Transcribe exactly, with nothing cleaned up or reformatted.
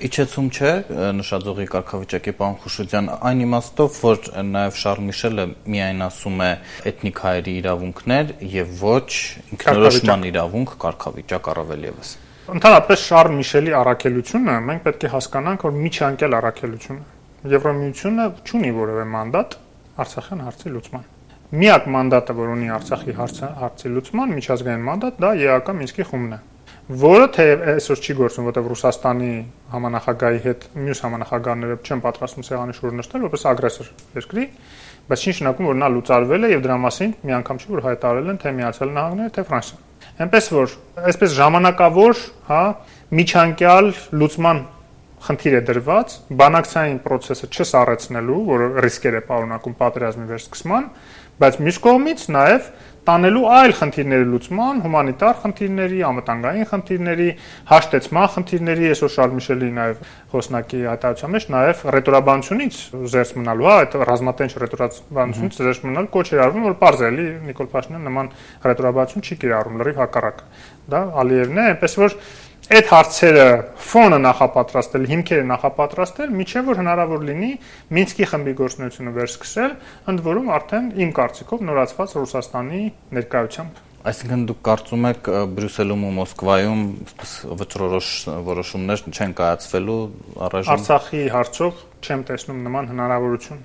Իջեցում չէ նշաձողի կարգավիճակի պարոն Խուշուձյան, այն իմաստով, որ նաև Շարլ Միշելը միայն ասում է էթնիկ հայերի իրավունքներ եւ ոչ ինքնորոշման իրավունք, կարգավիճակ առավել եւս։ Ընդհանրապես Շարլ Միշելի առաքելությունը մենք պետք է հասկանանք, որ միջանկյալ առաքելություն է։ Եվրամիությունը չունի որևէ մանդատ Արցախյան հարցի լուծման։ Միակ մանդատը, որ ունի Արցախի հարցի լուծման միջազգային մանդատ, դա ԵԱԿ Մինսկի խումբն է, որը թեև այսօր չի գործում, որտեղ Ռուսաստանի համանախագահի հետ մյուս համանախագահները չեն պատրաստվում սեղանի շուրջ նստել, որպես ագրեսոր երկրի, բայց չի նշանակում, որ նա լուծարվել է եւ դրա մասին մի անգամ չի որ հայտարարել են թե Միացյալ Նահանգները, թե Ֆրանսիան։ Այնպես որ, այսպես ժամանակավոր, հա, միջանկյալ լուծման խնդիր է դրված, բանակցային process-ը չսառեցնելու, որը ռիսկեր է պարունակում պատերազմի վերսկսման, բայց մյուս կողմից նաև տանելու այլ խնդիրների լուծման, հումանիտար խնդիրների, անվտանգային խնդիրների, հաշտեցման խնդիրների, այսօր Շարլ Միշելի նաև խոսնակի հայտարարության մեջ նաև ռետորաբանությունից զերծ մնալու, հա, այդ ռազմատենչ ռետորաբանությունից զերծ մնալ կոչ էր արվում, որ պարզ է, էլի Նիկոլ Փաշինյանը նման ռետորաբանություն չի կիրառում, լրիվ հակառակը։ Դա Ալիևն է, այնպես որ այդ հարցերը ֆոնը նախապատրաստել, հիմքերը նախապատրաստել, միջև որ հնարավոր լինի Մինսկի խմբի գործունեությունը վերսկսել, ընդ որում արդեն իմ կարծիքով նորացված Ռուսաստանի ներկայությամբ։ Այսինքն դուք կարծում եք Բրյուսելում ու Մոսկվայում վճռորոշ որոշումներ չեն կայացվելու առայժմ։ Արցախի հարցով չեմ տեսնում նման հնարավորություն։